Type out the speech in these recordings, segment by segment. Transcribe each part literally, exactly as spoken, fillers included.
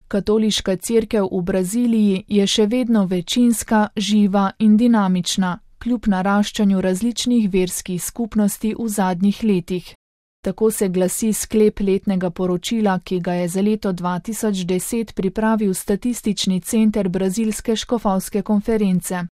Katoliška cerkev v Braziliji je še vedno večinska, živa in dinamična, kljub naraščanju različnih verskih skupnosti v zadnjih letih. Tako se glasi sklep letnega poročila, ki ga je za leto dva tisoč deset pripravil Statistični center Brazilske škofovske konference.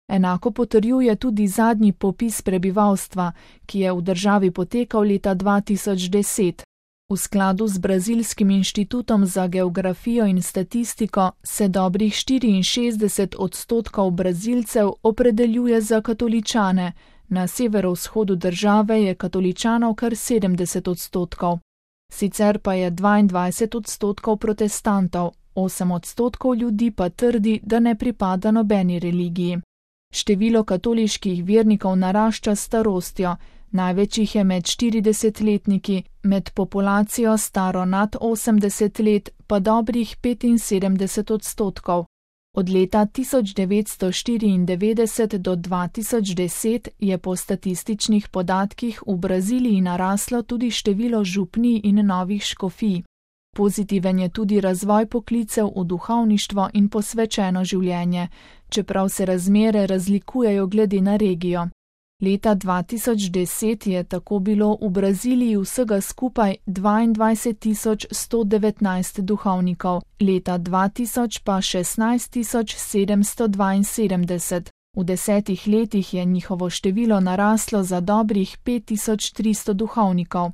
Enako potrjuje tudi zadnji popis prebivalstva, ki je v državi potekal leta dva tisoč deset. V skladu z Brazilskim inštitutom za geografijo in statistiko se dobrih štiriinšestdeset odstotkov Brazilcev opredeljuje za katoličane, na severovzhodu države je katoličanov kar sedemdeset odstotkov. Sicer pa je dvaindvajset odstotkov protestantov, osem odstotkov ljudi pa trdi, da ne pripada nobeni religiji. Število katoliških vernikov narašča s starostjo, največ jih je med štiridesetletniki, med populacijo staro nad osemdeset let pa dobrih petinsedemdeset odstotkov. Od leta tisoč devetsto štiriindevetdeset do dva tisoč deset je po statističnih podatkih v Braziliji naraslo tudi število župnij in novih škofij. Pozitiven je tudi razvoj poklicev v duhovništvo in posvečeno življenje, čeprav se razmere razlikujejo glede na regijo. Leta dva tisoč deset je tako bilo v Braziliji vsega skupaj dvaindvajset tisoč sto devetnajst duhovnikov, leta dva tisoč pa šestnajst tisoč sedemsto dvainsedemdeset. V desetih letih je njihovo število naraslo za dobrih pet tisoč tristo duhovnikov.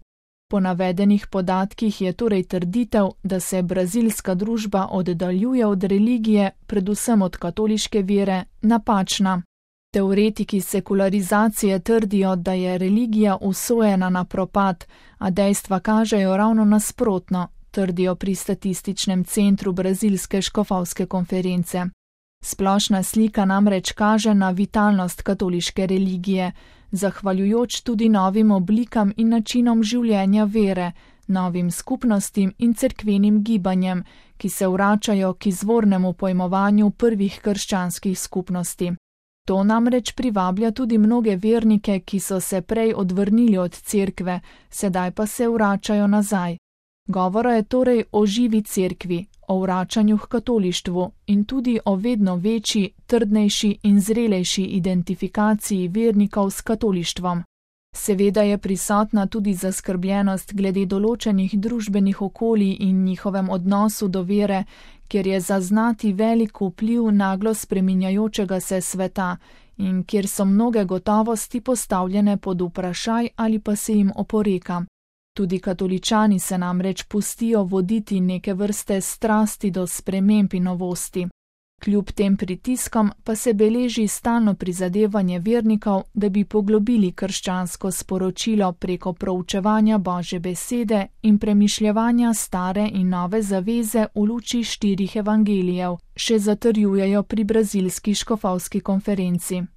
Po navedenih podatkih je torej trditev, da se brazilska družba oddaljuje od religije, predvsem od katoliške vere, napačna. Teoretiki sekularizacije trdijo, da je religija usojena na propad, a dejstva kažejo ravno nasprotno, trdijo pri Statističnem centru Brazilske škofovske konference. Splošna slika namreč kaže na vitalnost katoliške religije, zahvaljujoč tudi novim oblikam in načinom življenja vere, novim skupnostim in cerkvenim gibanjem, ki se vračajo k izvornemu pojmovanju prvih krščanskih skupnosti. To namreč privablja tudi mnoge vernike, ki so se prej odvrnili od cerkve, sedaj pa se vračajo nazaj. Govora je torej o živi cerkvi, o vračanju k katolištvu in tudi o vedno večji, trdnejši in zrelejši identifikaciji vernikov s katolištvom. Seveda je prisotna tudi zaskrbljenost glede določenih družbenih okolij in njihovem odnosu do vere, kjer je zaznati velik vpliv naglo spreminjajočega se sveta in kjer so mnoge gotovosti postavljene pod vprašaj ali pa se jim oporeka. Tudi katoličani se namreč pustijo voditi neke vrste strasti do sprememb in novosti. Kljub tem pritiskom pa se beleži stalno prizadevanje vernikov, da bi poglobili krščansko sporočilo preko proučevanja Božje besede in premišljevanja stare in nove zaveze v luči štirih evangelijev, še zatrjujejo pri Brazilski škofovski konferenci.